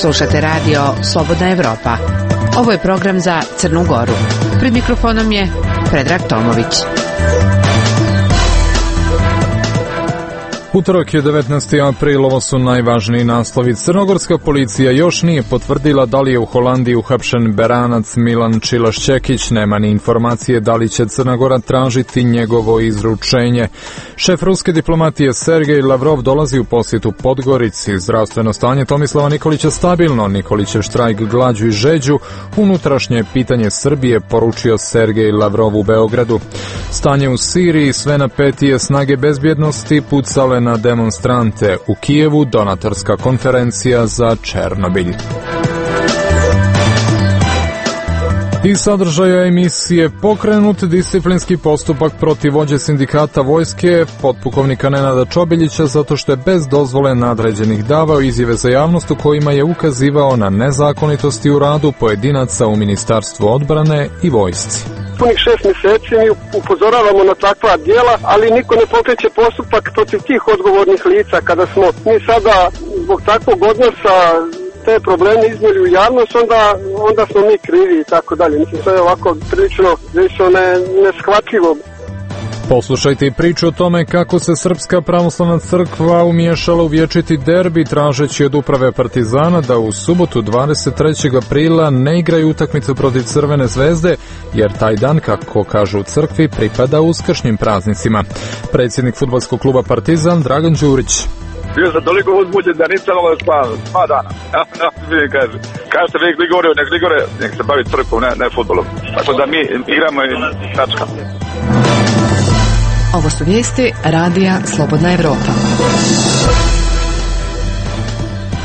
Slušate radio Slobodna Evropa. Ovo je program za Crnu Goru. Pred mikrofonom je Predrag Tomović. Utorak je 19. april, ovo su najvažniji naslovi. Crnogorska policija još nije potvrdila da li je u Holandiji uhapšen Beranac Milan Čilaš-Čekić, nema ni informacije da li će Crna Gora tražiti njegovo izručenje. Šef ruske diplomatije Sergej Lavrov dolazi u posjetu Podgorici. Zdravstveno stanje Tomislava Nikolića stabilno, Nikolićev štrajk glađu i žeđu, unutrašnje pitanje Srbije, poručio Sergej Lavrov u Beogradu. Stanje u Siriji, sve napetije snage bezbjednosti pucale na demonstrante. U Kijevu donatorska konferencija za Černobilj. Iz sadržaja emisije pokrenut disciplinski postupak protiv vođe sindikata vojske, potpukovnika Nenada Čobiljića, zato što je bez dozvole nadređenih davao izjave za javnost u kojima je ukazivao na nezakonitosti u radu pojedinaca u Ministarstvu odbrane i vojsci. Punih 6 mjeseci mi upozoravamo na takva djela, ali niko ne pokreće postupak protiv tih odgovornih lica. Kada smo mi sada zbog takvog odnosa te probleme iznijeli u javnost, onda smo mi krivi i tako dalje. Mislim, to je ovako prilično neshvatljivo. Poslušajte i priču o tome kako se Srpska pravoslavna crkva umiješala u vječiti derbi tražeći od uprave Partizana da u subotu 23. aprila ne igraju utakmicu protiv Crvene zvezde, jer taj dan, kako kažu u crkvi, pripada uskršnjim praznicima. Predsjednik fudbalskog kluba Partizan Dragan Đurić. Bio sam toliko uzbuđen da nisam ovo sva dana. Kažete nek Ligore, nek se bavi crkvom, ne fudbalom. Tako da mi igramo i tačka. Ovo su vijesti radija Slobodna Evropa.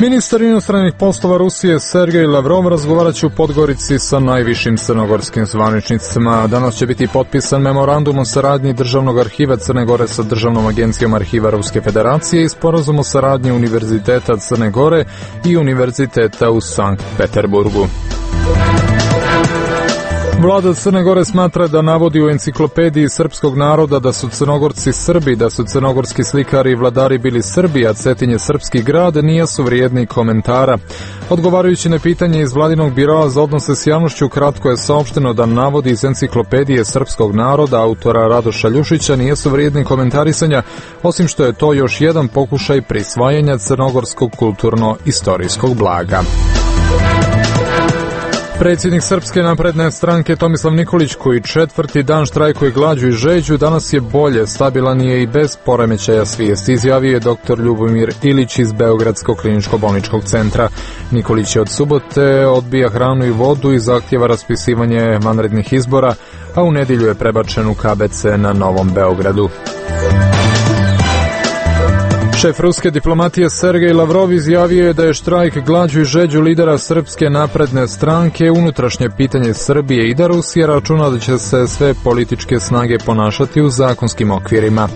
Ministar inostranih poslova Rusije Sergej Lavrov razgovarat će u Podgorici sa najvišim crnogorskim zvaničnicima. Danas će biti potpisan memorandum o saradnji Državnog arhiva Crne Gore sa Državnom agencijom arhiva Ruske federacije i sporazum o saradnji Univerziteta Crne Gore i Univerziteta u Sankt Peterburgu. Vlada Crne Gore smatra da navodi u enciklopediji srpskog naroda da su Crnogorci Srbi, da su crnogorski slikari i vladari bili Srbi, a Cetin je srpski grad, nisu vrijedni komentara. Odgovarajući na pitanje iz Vladinog biroa za odnose s javnošću, kratko je saopšteno da navodi iz enciklopedije srpskog naroda autora Radoša Ljušića nisu vrijedni komentarisanja, osim što je to još jedan pokušaj prisvajanja crnogorskog kulturno-istorijskog blaga. Predsjednik Srpske napredne stranke Tomislav Nikolić, koji četvrti dan štrajkuje glađu i žeđu, danas je bolje, stabilan je i bez poremećaja svijesti, izjavio je dr. Ljubomir Ilić iz Beogradskog kliničko-bolničkog centra. Nikolić je od subote odbija hranu i vodu i zahtjeva raspisivanje vanrednih izbora, a u nedjelju je prebačen u KBC na Novom Beogradu. Šef ruske diplomatije Sergej Lavrov izjavio je da je štrajk glađu i žeđu lidera Srpske napredne stranke unutrašnje pitanje Srbije i da Rusija računa da će se sve političke snage ponašati u zakonskim okvirima.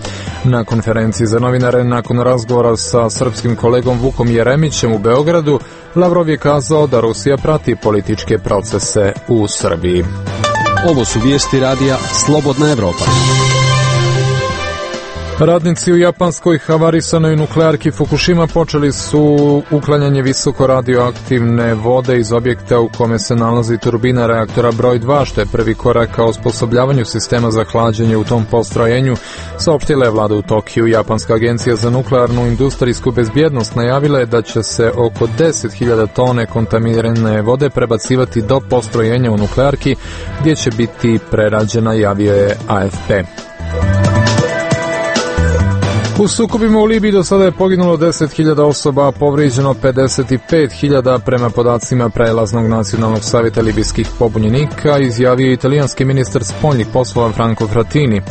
Na konferenciji za novinare nakon razgovora sa srpskim kolegom Vukom Jeremićem u Beogradu, Lavrov je kazao da Rusija prati političke procese u Srbiji. Ovo su vijesti radija Slobodna Evropa. Radnici u japanskoj havarisanoj nuklearki Fukushima počeli su uklanjanje visoko radioaktivne vode iz objekta u kome se nalazi turbina reaktora broj 2, što je prvi korak ka osposobljavanju sistema za hlađenje u tom postrojenju, saopštila je vlada u Tokiju. Japanska agencija za nuklearnu industrijsku bezbjednost najavila je da će se oko 10.000 tone kontaminirane vode prebacivati do postrojenja u nuklearki, gdje će biti prerađena, javio je AFP. U sukobima u Libiji do sada je poginulo 10.000 osoba, a povrijeđeno 55.000 prema podacima Prelaznog nacionalnog savjeta libijskih pobunjenika, izjavio italijanski ministar spoljnih poslova Franco Frattini.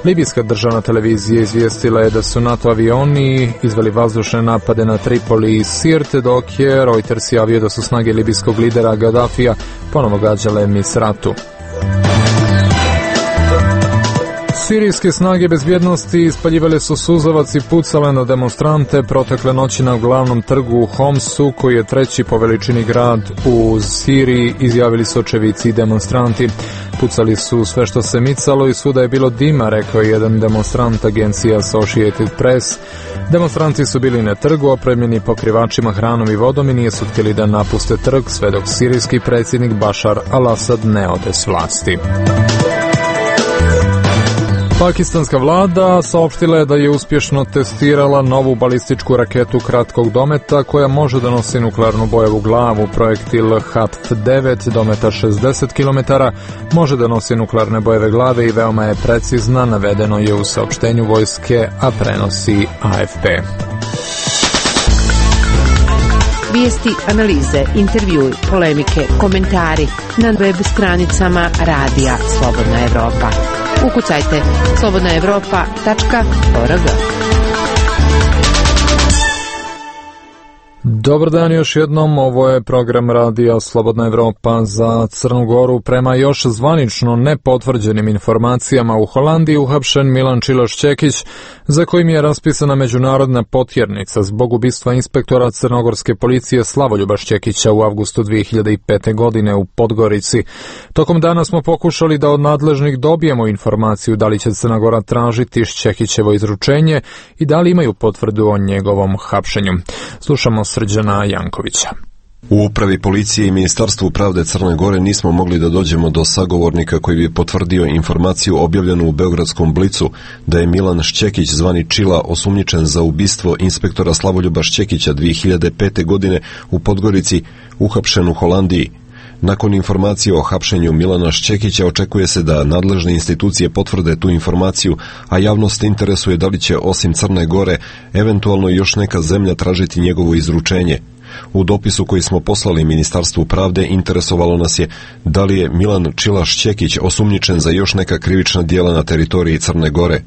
Libijska državna televizija izvijestila je da su NATO avioni izveli vazdušne napade na Tripoli i Sirte, dok je Reuters javio da su snage libijskog lidera Gaddafija ponovo gađale Misratu. Sirijske snage bezbjednosti ispaljivale su suzavac i pucale na demonstrante protekle noći na glavnom trgu u Homsu, koji je treći po veličini grad u Siriji, izjavili su očevici i demonstranti. Pucali su sve što se micalo i svuda je bilo dima, rekao je jedan demonstrant agencija Associated Press. Demonstranti su bili na trgu opremljeni pokrivačima hranom i vodom i nisu htjeli da napuste trg sve dok sirijski predsjednik Bashar al-Assad ne ode s vlasti. Pakistanska vlada saopštila je da je uspješno testirala novu balističku raketu kratkog dometa koja može da nosi nuklearnu bojevu glavu. Projektil HATF-9 dometa 60 km može da nosi nuklearne bojeve glave i veoma je precizna, navedeno je u saopštenju vojske, a prenosi AFP. Vijesti, analize, intervjui, polemike, komentari na web stranicama Radija Slobodna Evropa. Ukucajte slobodnaevropa.org. Dobar dan još jednom, ovo je program Radija Slobodna Evropa za Crnu Goru. Prema još zvanično nepotvrđenim informacijama, u Holandiji uhapšen Milan Čilaš-Čekić, za kojim je raspisana međunarodna potjernica zbog ubistva inspektora crnogorske policije Slavoljuba Šćekića u avgustu 2005. godine u Podgorici. Tokom dana smo pokušali da od nadležnih dobijemo informaciju da li će Crna Gora tražiti Šćekićevo izručenje i da li imaju potvrdu o njegovom hapšenju. Slušamo Srđana Jankovića. U upravi policije i Ministarstvu pravde Crne Gore nismo mogli da dođemo do sagovornika koji bi potvrdio informaciju objavljenu u Beogradskom Blicu da je Milan Šćekić zvani Čila osumnjičen za ubistvo inspektora Slavoljuba Šćekića 2005. godine u Podgorici, uhapšen u Holandiji. Nakon informacije o hapšenju Milana Šćekića očekuje se da nadležne institucije potvrde tu informaciju, a javnost interesuje da li će osim Crne Gore eventualno još neka zemlja tražiti njegovo izručenje. U dopisu koji smo poslali Ministarstvu pravde interesovalo nas je da li je Milan Čilaš-Šćekić osumnjičen za još neka krivična djela na teritoriji Crne Gore.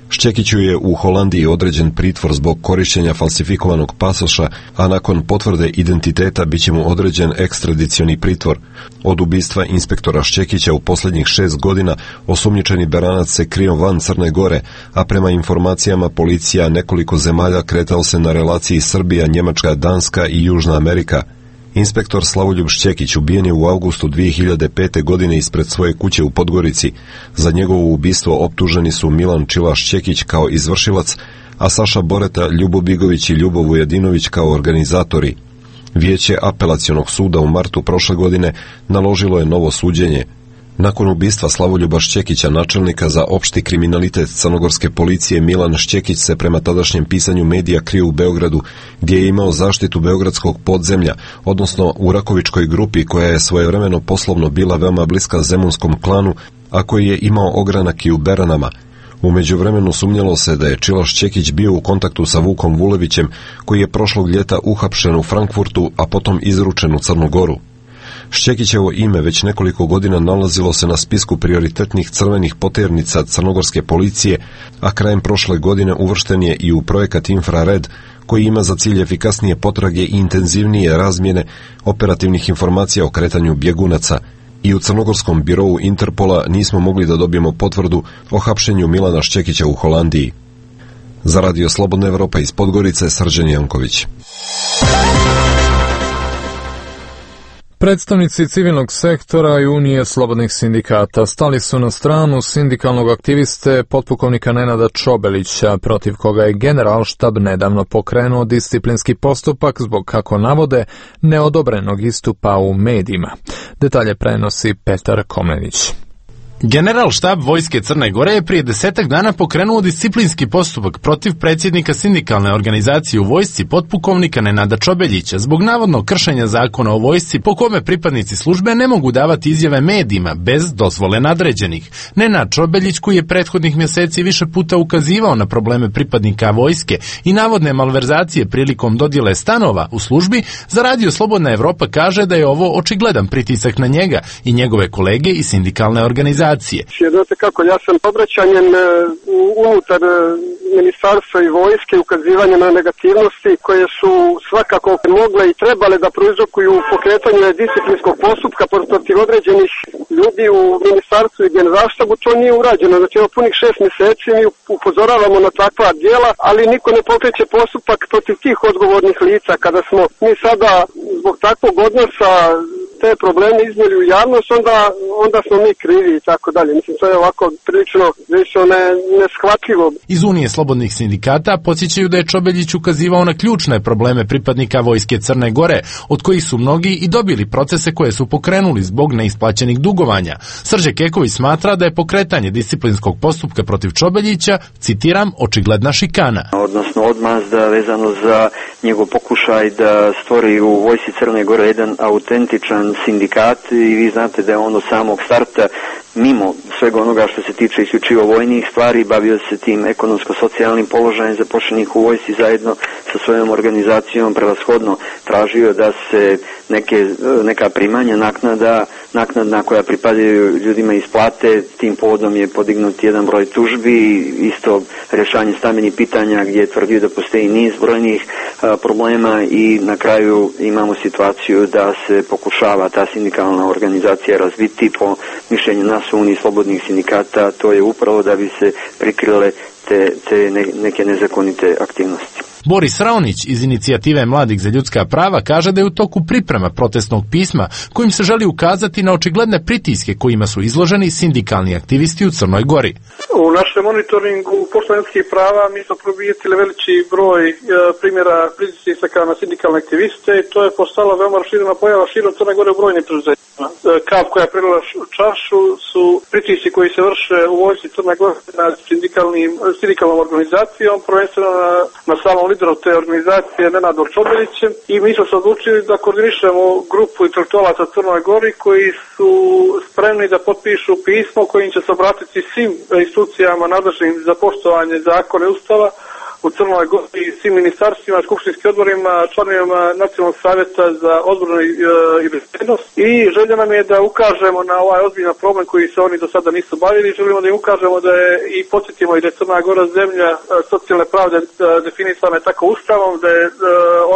Šćekiću je u Holandiji određen pritvor zbog korištenja falsifikovanog pasoša, a nakon potvrde identiteta bit će mu određen ekstradicioni pritvor. Od ubistva inspektora Šćekića u posljednjih 6 godina osumnjičeni Beranac se krio van Crne Gore, a prema informacijama policija nekoliko zemalja kretao se na relaciji Srbija, Njemačka, Danska i Južna Amerika. Inspektor Slavoljub Šćekić ubijen je u avgustu 2005. godine ispred svoje kuće u Podgorici. Za njegovo ubistvo optuženi su Milan Čilaš-Šćekić kao izvršilac, a Saša Boreta, Ljubo Bigović i Ljubo Vujedinović kao organizatori. Vijeće apelacionog suda u martu prošle godine naložilo je novo suđenje. Nakon ubistva Slavoljuba Šćekića, načelnika za opšti kriminalitet crnogorske policije, Milan Šćekić se prema tadašnjem pisanju medija krio u Beogradu, gdje je imao zaštitu beogradskog podzemlja, odnosno u Rakovičkoj grupi koja je svojevremeno poslovno bila veoma bliska zemunskom klanu, a koji je imao ogranak i u Beranama. U međuvremenu sumnjalo se da je Čilaš-Čekić bio u kontaktu sa Vukom Vulevićem, koji je prošlog ljeta uhapšen u Frankfurtu, a potom izručen u Crnu Goru. Šćekićevo ime već nekoliko godina nalazilo se na spisku prioritetnih crvenih poternica crnogorske policije, a krajem prošle godine uvršten je i u projekat Infrared, koji ima za cilj efikasnije potrage i intenzivnije razmjene operativnih informacija o kretanju bjegunaca. I u crnogorskom birou Interpola nismo mogli da dobijemo potvrdu o hapšenju Milana Šćekića u Holandiji. Za Radio Slobodna Evropa iz Podgorice, Srđan Janković. Predstavnici civilnog sektora i Unije slobodnih sindikata stali su na stranu sindikalnog aktiviste potpukovnika Nenada Čobelića, protiv koga je Generalštab nedavno pokrenuo disciplinski postupak zbog, kako navode, neodobrenog istupa u medijima. Detalje prenosi Petar Komnenić. Generalštab Vojske Crne Gore je prije 10 dana pokrenuo disciplinski postupak protiv predsjednika sindikalne organizacije u vojsci potpukovnika Nenada Čobeljića zbog navodnog kršenja zakona o vojsci po kome pripadnici službe ne mogu davati izjave medijima bez dozvole nadređenih. Nenad Čobeljić, koji je prethodnih mjeseci više puta ukazivao na probleme pripadnika vojske i navodne malverzacije prilikom dodjele stanova u službi, za Radio Slobodna Evropa kaže da je ovo očigledan pritisak na njega i njegove kolege iz sindikalne organizacije. organizacije. Znate kako, ja sam obraćanjem unutar ministarstva i vojske, ukazivanje na negativnosti koje su svakako mogle i trebale da prouzrokuju pokretanje disciplinskog postupka protiv određenih ljudi u ministarstvu i generalštabu, to nije urađeno. Znači, evo punih 6 mjeseci mi upozoravamo na takva djela, ali niko ne pokreće postupak protiv tih odgovornih lica. Kada smo mi sada zbog takvog odnosa te probleme iznijeli u javnost, onda smo mi krivi i tako dalje. Mislim, to je ovako prilično neshvatljivo. Iz Unije slobodnih sindikata podsjećaju da je Čobeljić ukazivao na ključne probleme pripadnika Vojske Crne Gore, od kojih su mnogi i dobili procese koje su pokrenuli zbog neisplaćenih dugovanja. Srđe Keković smatra da je pokretanje disciplinskog postupka protiv Čobeljića, citiram, očigledna šikana. Odnosno odmazda vezano za njegov pokušaj da stvori u Vojsci Crne Gore jedan autentičan sindikat i vi znate da je on od samog starta mimo svega onoga što se tiče isključivo vojnih stvari bavio se tim ekonomsko-socijalnim položajem zaposlenih u vojsci zajedno sa svojom organizacijom, prevashodno tražio da se neka primanja naknadna koja pripadaju ljudima isplate. Tim povodom je podignut jedan broj tužbi, isto rješanje stambenih pitanja gdje je tvrdio da postoji niz brojnih problema i na kraju imamo situaciju da se pokušava ta sindikalna organizacija razviti. Po mišljenju nas u Uniji slobodnih sindikata, to je upravo da bi se prikrile te neke nezakonite aktivnosti. Boris Raonić iz inicijative Mladih za ljudska prava kaže da je u toku priprema protestnog pisma kojim se želi ukazati na očigledne pritiske kojima su izloženi sindikalni aktivisti u Crnoj Gori. U našem monitoringu poštovanja ljudskih prava mi smo primijetili veliki broj primjera pritisaka na sindikalne aktiviste i to je postala veoma raširena pojava širom Crne Gore u brojnim preduzećima. Kap koja je prelila čašu su pritisci koji se vrše u vojsci Crne Gore nad sindikalnom organizacijom, prvenstveno na samom lideru te organizacije Nenadom Čobeljićem i mi smo se odlučili da koordinišemo grupu intelektualaca Crnoj Gori koji su spremni da potpišu pismo kojim će se obratiti svim institucijama nadležnim za poštovanje zakona i ustava u Crnoj Gori, svim ministarstvima, skupštinskim odborima, članovima Nacionalnog savjeta za odbranu i bezbednost. I želja nam je da ukažemo na ovaj ozbiljan problem koji se oni do sada nisu bavili. Želimo da im ukažemo da je i podsjetimo i da je Crna Gora zemlja socijalne pravde definisana je tako ustavom, da je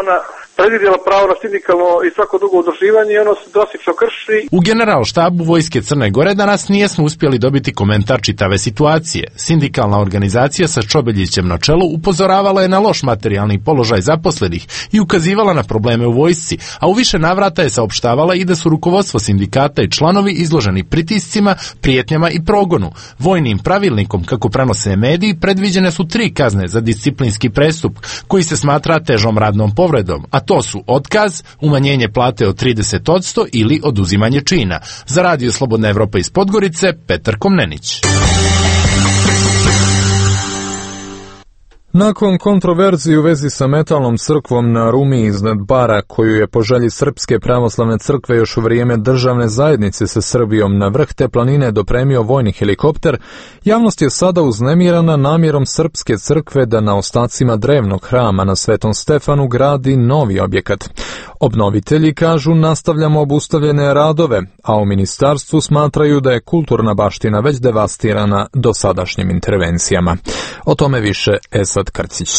ona predvidjela pravo na sindikalno i svako drugo udruživanje i ono se drastično krši. U Generalštabu Vojske Crne Gore danas nijesmo uspjeli dobiti komentar čitave situacije. Sindikalna organizacija sa Čobeljićem na čelu upozoravala je na loš materijalni položaj zaposlenih i ukazivala na probleme u vojsci, a u više navrata je saopštavala i da su rukovodstvo sindikata i članovi izloženi pritiscima, prijetnjama i progonu. Vojnim pravilnikom, kako prenose mediji, predviđene su 3 kazne za disciplinski prestup, koji se smatra težom radnom povredom, a to su otkaz, umanjenje plate od 30% ili oduzimanje čina. Za Radio Slobodna Evropa iz Podgorice, Petar Komnenić. Nakon kontroverzije u vezi sa metalnom crkvom na Rumi iznad bara, koju je po želji Srpske pravoslavne crkve još u vrijeme državne zajednice sa Srbijom na vrh te planine dopremio vojni helikopter, javnost je sada uznemirana namjerom Srpske crkve da na ostacima drevnog hrama na Svetom Stefanu gradi novi objekat. Obnovitelji kažu nastavljamo obustavljene radove, a u ministarstvu smatraju da je kulturna baština već devastirana dosadašnjim intervencijama. O tome više Esad Krcić.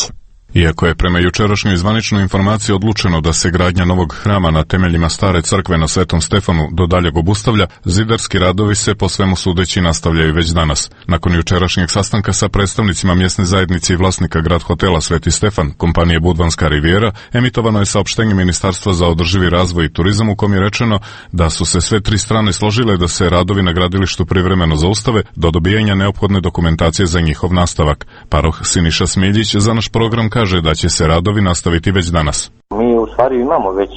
Iako je prema jučerašnjoj zvaničnoj informaciji odlučeno da se gradnja novog hrama na temeljima stare crkve na Svetom Stefanu do daljeg obustavlja, zidarski radovi se po svemu sudeći nastavljaju već danas. Nakon jučerašnjeg sastanka sa predstavnicima mjesne zajednice i vlasnika grad hotela Sveti Stefan, kompanije Budvanska Rivijera, emitovano je saopštenje Ministarstva za održivi razvoj i turizam u kom je rečeno da su se sve 3 strane složile da se radovi na gradilištu privremeno zaustave do dobijanja neophodne dokumentacije za njihov nastavak. Paroh Siniša Smiljić za naš program kaže da će se radovi nastaviti već danas. Mi u stvari imamo već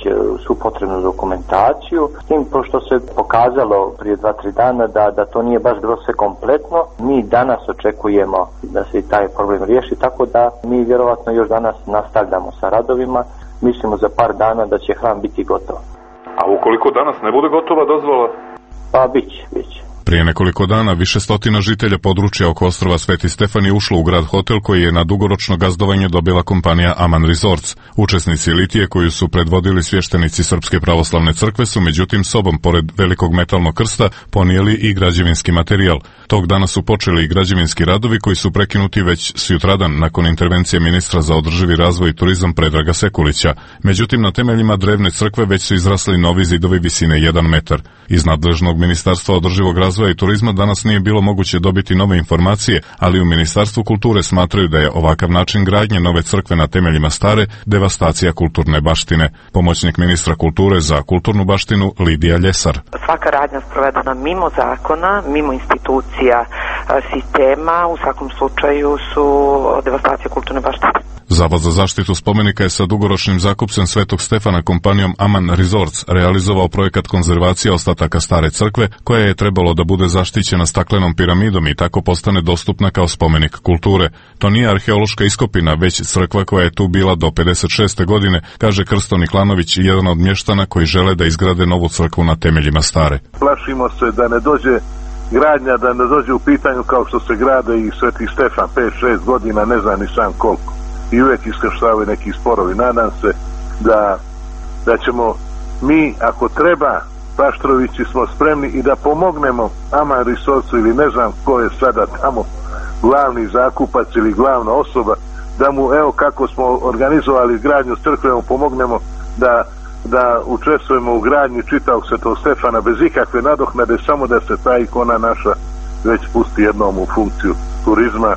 svu potrebnu dokumentaciju, s tim pošto se pokazalo prije 2-3 dana da to nije baš bilo sve kompletno, mi danas očekujemo da se i taj problem riješi, tako da mi vjerovatno još danas nastavljamo sa radovima, mislimo za par dana da će hram biti gotov. A ukoliko danas ne bude gotova dozvola? Pa bit će. Prije nekoliko dana više stotina žitelja područja oko ostrva Sveti Stefan je ušlo u grad hotel koji je na dugoročno gazdovanje dobila kompanija Aman Resorts. Učesnici litije koju su predvodili svještenici Srpske pravoslavne crkve su međutim sobom pored velikog metalnog krsta ponijeli i građevinski materijal. Tog dana su počeli i građevinski radovi koji su prekinuti već sutradan nakon intervencije ministra za održivi razvoj i turizam Predraga Sekulića. Međutim, na temeljima drevne crkve već su izrasli novi zidovi visine 1 metar. Iz nadležnog ministarstva održivog razvoja i turizma danas nije bilo moguće dobiti nove informacije, ali u Ministarstvu kulture smatraju da je ovakav način gradnje nove crkve na temeljima stare devastacija kulturne baštine. Pomoćnik ministra kulture za kulturnu baštinu Lidija Ljesar. Svaka radnja sprovedena mimo zakona, mimo institucija sistema, u svakom slučaju su devastacija kulturne baštine. Zavod za zaštitu spomenika je sa dugoročnim zakupcem Svetog Stefana kompanijom Aman Resorts realizovao projekat konzervacije ostataka stare crkve koja je trebalo da bude zaštićena staklenom piramidom i tako postane dostupna kao spomenik kulture. To nije arheološka iskopina, već crkva koja je tu bila do 56. godine, kaže Krsto Niklanović, jedan od mještana koji žele da izgrade novu crkvu na temeljima stare. Plašimo se da ne dođe gradnja, da ne dođe u pitanju kao što se grade i Sveti Stefan 5-6 godina, ne znam ni sam koliko. I uvijek iskrštavaju neki sporovi. Nadam se da ćemo mi, ako treba, Paštrovići smo spremni i da pomognemo Aman Resortsu ili ne znam ko je sada tamo glavni zakupac ili glavna osoba, da mu, evo kako smo organizovali gradnju crkve, mu pomognemo da učestvujemo u gradnji čitavog Svetog Stefana bez ikakve nadoknade, samo da se ta ikona naša već pusti jednom u funkciju turizma,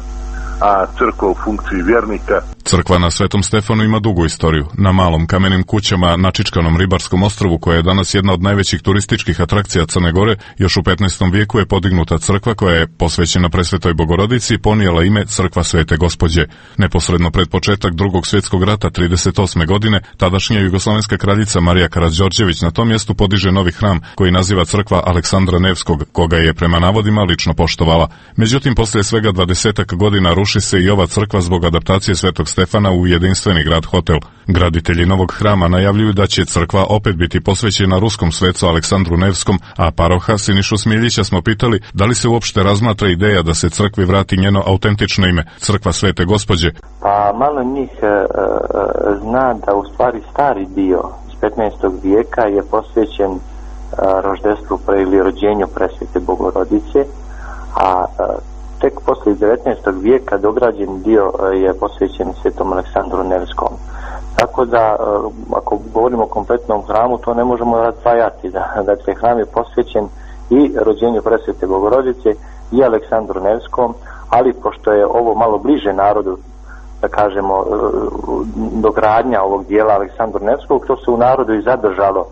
a crkva u funkciji vjernika. Crkva na Svetom Stefanu ima dugu istoriju. Na malom kamenim kućama na Čičkanom ribarskom ostrvu, koja je danas jedna od najvećih turističkih atrakcija Crne Gore, još u 15. vijeku je podignuta crkva koja je posvećena Presvetoj Bogorodici i ponijela ime Crkva Svete Gospođe. Neposredno pred početak Drugog svjetskog rata 38. godine, tadašnja jugoslovenska kraljica Marija Karađorđević na tom mjestu podiže novi hram koji naziva Crkva Aleksandra Nevskog, koga je prema navodima lično poštovala. Međutim, poslije svega 20 godina ruši se i ova crkva zbog adaptacije Svetog Stefana u jedinstveni grad hotel. Graditelji novog hrama najavljuju da će crkva opet biti posvećena ruskom svecu Aleksandru Nevskom, a paroha Sinišu Smiljića smo pitali da li se uopšte razmatra ideja da se crkvi vrati njeno autentično ime, Crkva Svete Gospođe. Pa malo njih zna da u stvari stari dio iz 15. vijeka je posvećen roždestvu ili rođenju Presvete Bogorodice, a tek poslije 19. vijeka dograđen dio je posvećen Svetom Aleksandru Nevskom. Tako da, ako govorimo o kompletnom hramu, to ne možemo razdvajati. Dakle, hram je posvećen i rođenju Presvete Bogorodice i Aleksandru Nevskom, ali pošto je ovo malo bliže narodu, da kažemo, dogradnja ovog dijela Aleksandru Nevskog, to se u narodu i zadržalo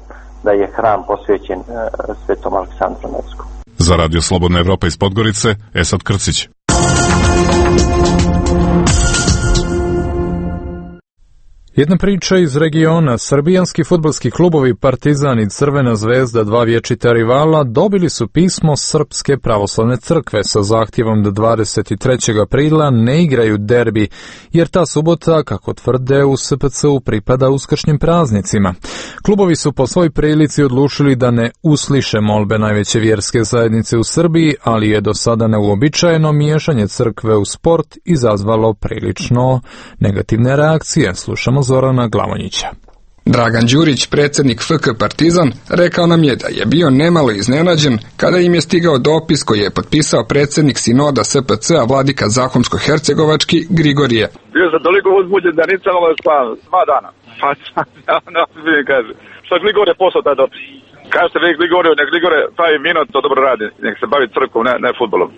da je hram posvećen Svetom Aleksandru Nevskom. Za Radio Slobodna Evropa iz Podgorice, Esad Krcić. Jedna priča iz regiona. Srbijanski fudbalski klubovi Partizan i Crvena zvezda, dva vječita rivala, dobili su pismo Srpske pravoslavne crkve sa zahtjevom da 23. aprila ne igraju derbi, jer ta subota, kako tvrde u SPC-u, pripada uskršnjim praznicima. Klubovi su po svoj prilici odlučili da ne usliše molbe najveće vjerske zajednice u Srbiji, ali je do sada neuobičajeno miješanje crkve u sport izazvalo prilično negativne reakcije. Slušamo Zorana Glavonjića. Dragan Đurić, predsjednik FK Partizan, rekao nam je da je bio nemalo iznenađen kada im je stigao dopis koji je potpisao predsjednik sinoda SPC-a vladika Zahumsko-hercegovački Grigorije. Bio sam toliko uzbuđen da nisam spavao 2 dana. Pa mi kaže, što Grigorije poslao taj dopis? Kažete vi Grigoriju, nek Grigore pravi minut, to dobro radi, nek se bavi crkvom, ne futbolom.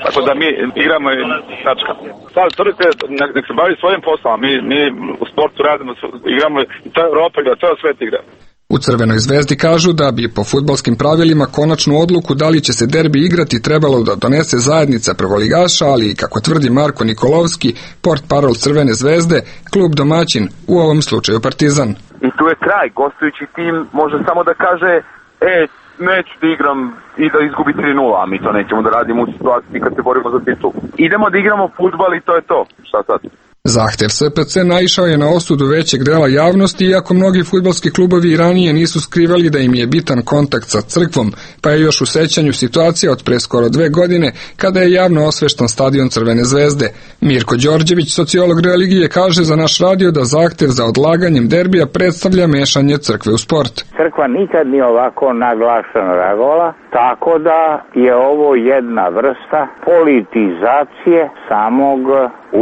Tako da mi igramo i tačka. Sad crkve, nek se bavi svojim poslom, mi u sportu radimo, igramo i to je Europa igra, to je svet igra. U Crvenoj zvezdi kažu da bi po fudbalskim pravilima konačnu odluku da li će se derbi igrati trebalo da donese zajednica prvoligaša, ali kako tvrdi Marko Nikolovski, portparol Crvene zvezde, klub domaćin, u ovom slučaju Partizan. I tu je kraj, gostujući tim može samo da kaže, neću da igram i da izgubi 3-0, a mi to nećemo da radimo u situaciji kad se borimo za titul. Idemo da igramo fudbal i to je to. Šta sad? Zahtev SPC naišao je na osudu većeg dela javnosti, iako mnogi fudbalski klubovi i ranije nisu skrivali da im je bitan kontakt sa crkvom, pa je još u sećanju situacija od pre skoro 2 godine kada je javno osveštan stadion Crvene zvezde. Mirko Đorđević, sociolog religije, kaže za naš radio da zahtev za odlaganjem derbija predstavlja mešanje crkve u sport. Crkva nikad nije ovako naglašeno reagovala, tako da je ovo jedna vrsta politizacije samog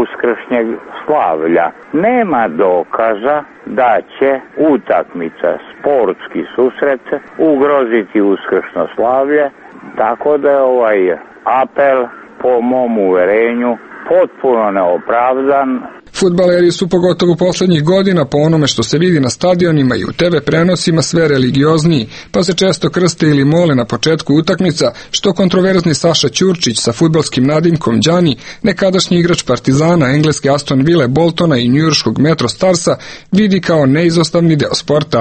uskršnjeg slavlja. Nema dokaza da će utakmica, sportski susret ugroziti uskršno slavlje, tako da je ovaj apel po mom uverenju potpuno neopravdan. Fudbaleri su pogotovo poslednjih godina po onome što se vidi na stadionima i u TV prenosima sve religiozniji, pa se često krste ili mole na početku utakmica, što kontroverzni Saša Ćurčić sa fudbalskim nadimkom Đani, nekadašnji igrač Partizana, engleske Aston Ville, Boltona i njujorškog Metro Starsa, vidi kao neizostavni deo sporta.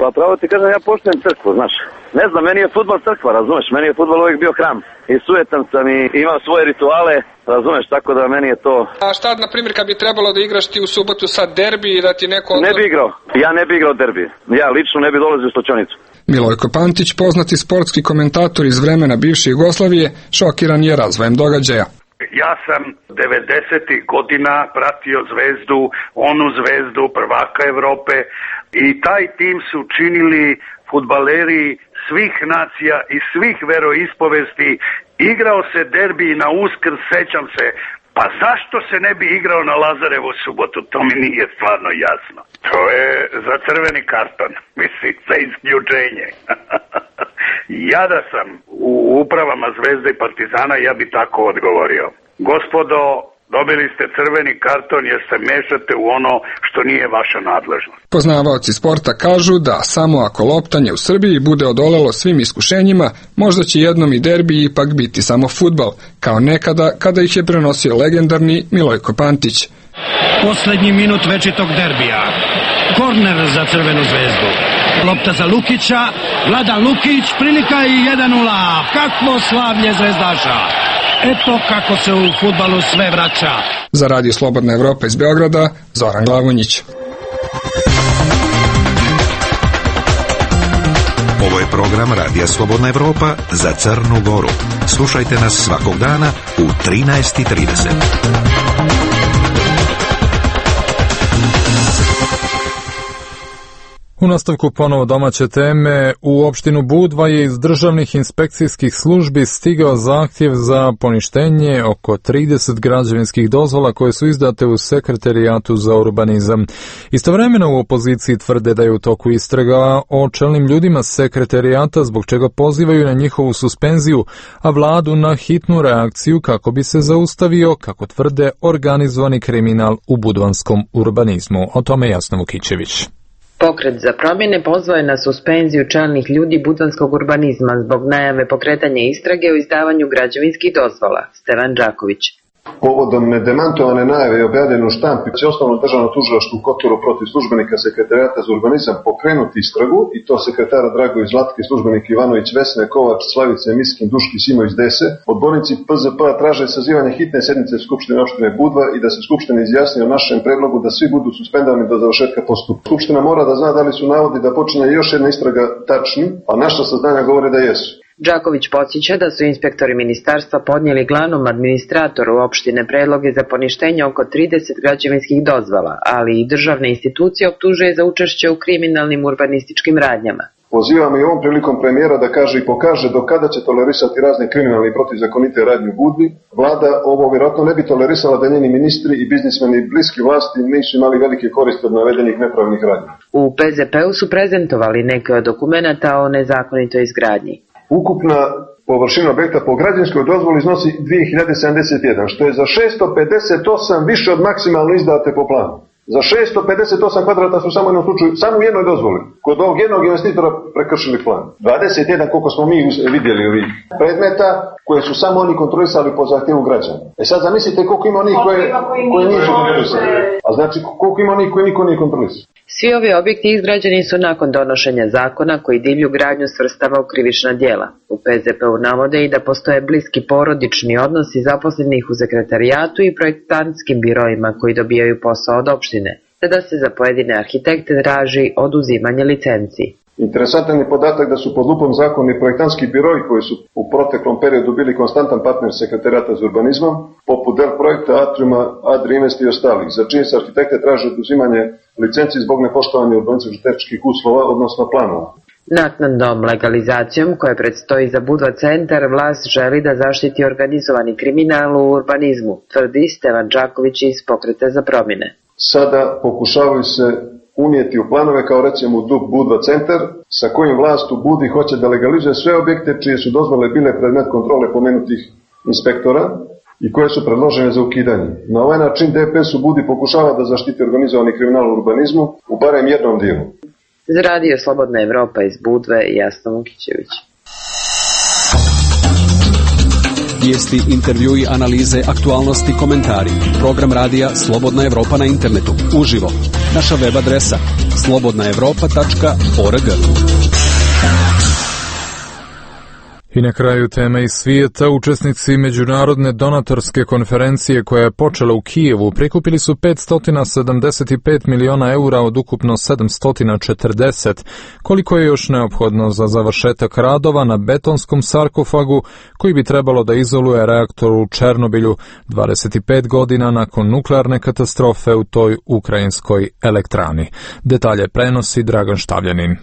Pa pravo ti kažem, ja poštujem crkvu, znaš. Ne znam, meni je fudbal crkva, razumeš, meni je fudbal uvijek bio hram. I sujetan sam i imam svoje rituale, razumeš, tako da meni je to... A šta, na primjer, kad bi trebalo da igraš ti u subotu sad derbi i da ti neko... Ne bi igrao, ja ne bi igrao derbi. Ja lično ne bi dolazio u Stočanicu. Milojko Pantić, poznati sportski komentator iz vremena bivše Jugoslavije, šokiran je razvojem događaja. Ja sam 90. godina pratio Zvezdu, onu Zvezdu prvaka Evrope i taj tim su činili fudbaleri svih nacija i svih veroispovesti. Igrao se derbi na Uskrs, sećam se. Pa zašto se ne bi igrao na Lazarevu subotu? To mi nije stvarno jasno. To je za crveni karton, mislim, za isključenje. Ja da sam u upravama Zvezde i Partizana, ja bi tako odgovorio. Gospodo, dobili ste crveni karton jer se mešate u ono što nije vaša nadležnost. Poznavaoci sporta kažu da samo ako loptanje u Srbiji bude odolelo svim iskušenjima, možda će jednom i derbi ipak biti samo fudbal, kao nekada kada ih je prenosio legendarni Milojko Pantić. Poslednji minut večitog derbija. Korner za Crvenu zvezdu. Lopta za Lukića, Vladan Lukić, prilika i 1:0. Kakvo slavlje zvezdaša! Eto kako se u fudbalu sve vraća. Za Radio Slobodna Evropa iz Beograda, Zoran Glavonjić. Ovo je program Radija Slobodna Evropa za Crnu Goru. Slušajte nas svakog dana u 13:30. U nastavku ponovo domaće teme, u opštinu Budva je iz državnih inspekcijskih službi stigao zahtjev za poništenje oko 30 građevinskih dozvola koje su izdate u Sekretarijatu za urbanizam. Istovremeno u opoziciji tvrde da je u toku istraga o čelnim ljudima Sekretarijata, zbog čega pozivaju na njihovu suspenziju, a vladu na hitnu reakciju kako bi se zaustavio, kako tvrde, organizovani kriminal u budvanskom urbanizmu. O tome Jasna Vukićević. Pokret za promjene pozvao je na suspenziju čelnih ljudi budvanskog urbanizma zbog najave pokretanja istrage o izdavanju građevinskih dozvola. Stevan Đaković. Povodom nedemantovane najave i objavljene u štampi će osnovno državno tužilaštvo u Kotoru protiv službenika Sekretarijata za urbanizam pokrenuti istragu, i to sekretara Dragović Zlatke, službenik Ivanović Vesne, Kovač, Slavice, Miskin, Duški, Simović, Dese. Odbornici PZP traže sazivanje hitne sednice Skupštine opštine Budva i da se Skupština izjasni o našem predlogu da svi budu suspendovani do završetka postupka. Skupština mora da zna da li su navodi da počinje još jedna istraga tačni, a naša saznanja govore da jesu. Đaković podsjeća da su inspektori ministarstva podnijeli glavnom administratoru opštine predloge za poništenje oko 30 građevinskih dozvola, ali i državne institucije optužuje za učešće u kriminalnim urbanističkim radnjama. Pozivamo i ovom prilikom premijera da kaže i pokaže do kada će tolerisati razne kriminalne i protivzakonite radnje u Budvi. Vlada ovo vjerojatno ne bi tolerisala da njeni ministri i biznismeni bliski vlasti nisu imali velike koristi od navedenih nepravilnih radnji. U PZP-u su prezentovali neke od dokumenata o nezakonitoj izgradnji. Ukupna površina objekta po građevinskoj dozvoli iznosi 2071, što je za 658 više od maksimalno izdate po planu. Za 658 kvadrata su samo u jednoj dozvoli, kod ovog jednog investitora prekršili plan. 21, koliko smo mi vidjeli ovih predmeta, koje su samo oni kontrolisali po zahtjevu građana. Sad zamislite koliko ima onih koje nisu kontrolisali. A znači koliko ima onih koje niko nije kontrolisali. Svi ovi objekti izgrađeni su nakon donošenja zakona koji divlju gradnju svrstava u krivična djela. U PZP-u navode i da postoje bliski porodični odnosi zaposlenih u sekretarijatu i projektantskim biroima koji dobijaju posao od opštine, te da se za pojedine arhitekte traži oduzimanje licenci. Interesantan je podatak da su pod lupom zakoni projektantski biroji koji su u proteklom periodu bili konstantan partner sekretarijata za urbanizmom, poput Del Projekta, Atriuma, Adri Invest i ostalih, za čije se arhitekte traže oduzimanje licenci zbog nepoštovanja urbanističkih uslova, odnosno planova. Naknadnom legalizacijom koja predstoji za Budva centar, vlast želi da zaštiti organizovani kriminal u urbanizmu, tvrdi Stevan Đaković iz Pokreta za promjene. Sada pokušavaju se unijeti u planove kao recimo DUP Budva centar, sa kojim vlast u Budvi hoće da legalizuje sve objekte čije su dozvole bile predmet kontrole pomenutih inspektora i koje su predložene za ukidanje. Na ovaj način DPS u Budvi pokušava da zaštiti organizovani kriminal u urbanizmu u barem jednom dijelu. Za radio Slobodna Evropa iz Budve, Jasna Vukićević. Vijesti, intervjui, analize, aktualnosti, komentari. Program radija Slobodna Evropa na internetu. Uživo. Naša web adresa slobodnaevropa.org. I na kraju teme iz svijeta, učesnici međunarodne donatorske konferencije koja je počela u Kijevu prikupili su 575 miliona eura od ukupno 740, koliko je još neophodno za završetak radova na betonskom sarkofagu koji bi trebalo da izoluje reaktor u Černobilju 25 godina nakon nuklearne katastrofe u toj ukrajinskoj elektrani. Detalje prenosi Dragan Štavljanin.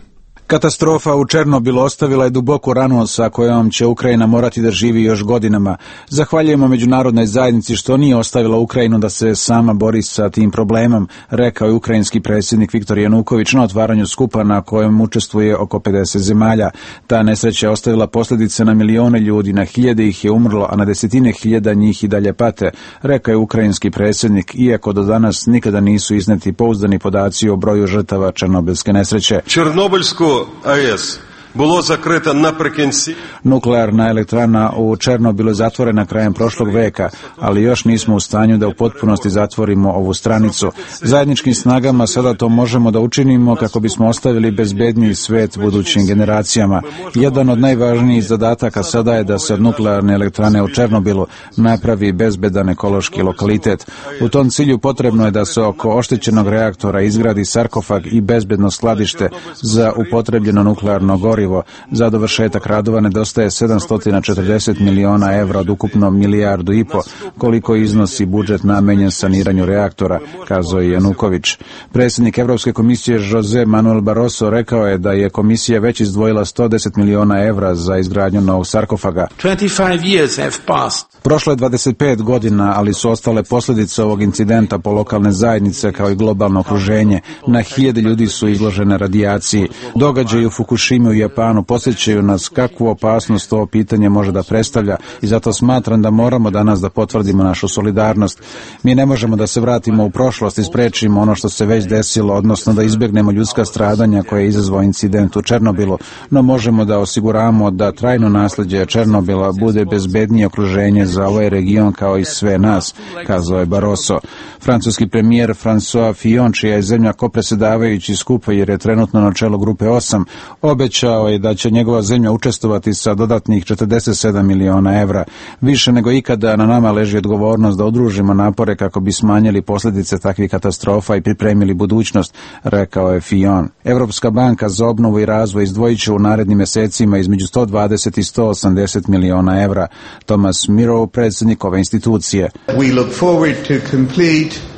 Katastrofa u Černobilu ostavila je duboku ranu sa kojom će Ukrajina morati da živi još godinama. Zahvaljujemo međunarodnoj zajednici što nije ostavila Ukrajinu da se sama bori sa tim problemom, rekao je ukrajinski predsjednik Viktor Januković na otvaranju skupa na kojem učestvuje oko 50 zemalja. Ta nesreća je ostavila posljedice na milione ljudi, na hiljade ih je umrlo, a na desetine hiljada njih i dalje pate, rekao je ukrajinski predsjednik, iako do danas nikada nisu izneti pouzdani podaci o broju žrtava černobilske nesreće. Černobilsku AES bilo zakreta naprekінці. Nuklearna elektrana u Černobilu je zatvorena krajem prošlog veka, ali još nismo u stanju da u potpunosti zatvorimo ovu stranicu. Zajedničkim snagama sada to možemo da učinimo kako bismo ostavili bezbedniji svet budućim generacijama. Jedan od najvažnijih zadataka sada je da se od nuklearne elektrane u Černobilu napravi bezbedan ekološki lokalitet. U tom cilju potrebno je da se oko oštećenog reaktora izgradi sarkofag i bezbedno skladište za upotrebljeno nuklearno gorivo. Za dovršetak radova nedostaje 740 miliona evra od ukupno milijardu i po, koliko iznosi budžet namenjen saniranju reaktora, kazao je Januković. Predsjednik Evropske komisije Jose Manuel Barroso rekao je da je komisija već izdvojila 110 miliona evra za izgradnju novog sarkofaga. 25 years have passed. Prošlo je 25 godina, ali su ostale posljedice ovog incidenta po lokalne zajednice kao i globalno okruženje. Na hiljade ljudi su izložene radijaciji. Događaji u Fukushimi u Japanu podsjećaju nas kakvu opasnost ovo pitanje može da predstavlja i zato smatram da moramo danas da potvrdimo našu solidarnost. Mi ne možemo da se vratimo u prošlost i sprečimo ono što se već desilo, odnosno da izbjegnemo ljudska stradanja koje je izazvao incident u Černobilu, no možemo da osiguramo da trajno nasljeđe Černobila bude bezbednije okruženje za ovaj region kao i sve nas, kazao je Barroso. Francuski premijer François Fillon, čija je zemlja kopredsjedavajući skupa jer je trenutno na čelu grupe 8, obećao je da će njegova zemlja učestvovati sa dodatnih 47 miliona evra. Više nego ikada na nama leži odgovornost da udružimo napore kako bi smanjili posljedice takvih katastrofa i pripremili budućnost, rekao je Fillon. Evropska banka za obnovu i razvoj izdvojit će u narednim mjesecima između 120 i 180 miliona evra. Thomas Miro, predsjednik ove institucije. We look forward to complete.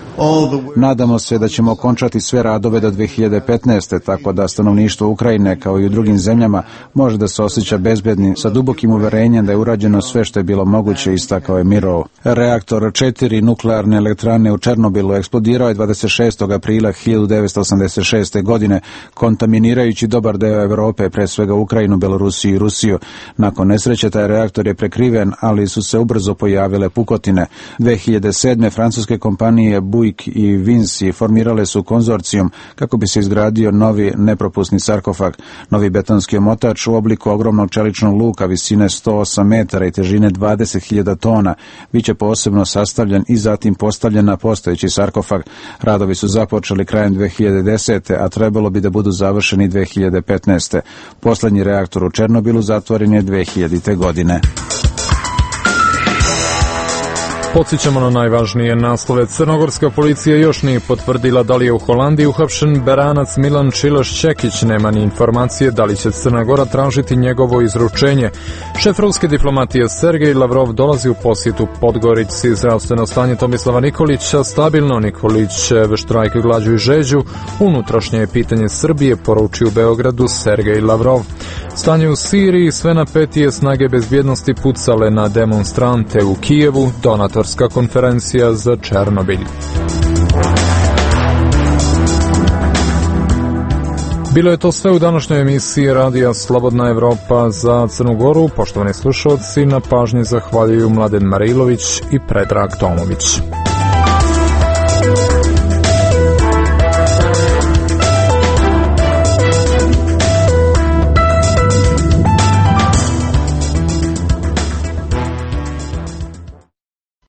Nadamo se da ćemo okončati sve radove do 2015. tako da stanovništvo Ukrajine kao i u drugim zemljama može da se osjeća bezbedni sa dubokim uverenjem da je urađeno sve što je bilo moguće, istakao je Mirov. Reaktor 4 nuklearne elektrane u Černobilu eksplodirao je 26. aprila 1986. godine, kontaminirajući dobar deo Evrope, pre svega Ukrajinu, Belorusiju i Rusiju. Nakon nesreće taj reaktor je prekriven, ali su se ubrzo pojavile pukotine. 2007. francuske kompanije Puig i Vinci formirale su konzorcijum kako bi se izgradio novi nepropusni sarkofag. Novi betonski omotač u obliku ogromnog čeličnog luka visine 108 metara i težine 20.000 tona biće posebno sastavljen i zatim postavljen na postojeći sarkofag. Radovi su započeli krajem 2010. a trebalo bi da budu završeni 2015. Poslednji reaktor u Černobilu zatvoren je 2000. godine. Podsjećamo na najvažnije naslove. Crnogorska policija još nije potvrdila da li je u Holandiji uhapšen Beranac Milan Čilaš-Čekić. Nema ni informacije da li će Crna Gora tražiti njegovo izručenje. Šef ruske diplomatije Sergej Lavrov dolazi u posjetu Podgorici. Zdravstveno stanje Tomislava Nikolića stabilno. Nikolićev štrajk glađu i žeđu. Unutrašnje je pitanje Srbije, poručio u Beogradu Sergej Lavrov. Stanje u Siriji, sve napetije snage bezbjednosti pucale na demonstrante u Kijevu. Donatorska konferencija za Černobilj. Bilo je to sve u današnjoj emisiji Radija Slobodna Evropa za Crnu Goru. Poštovani slušalci, na pažnji zahvaljuju Mladen Marilović i Predrag Tomović.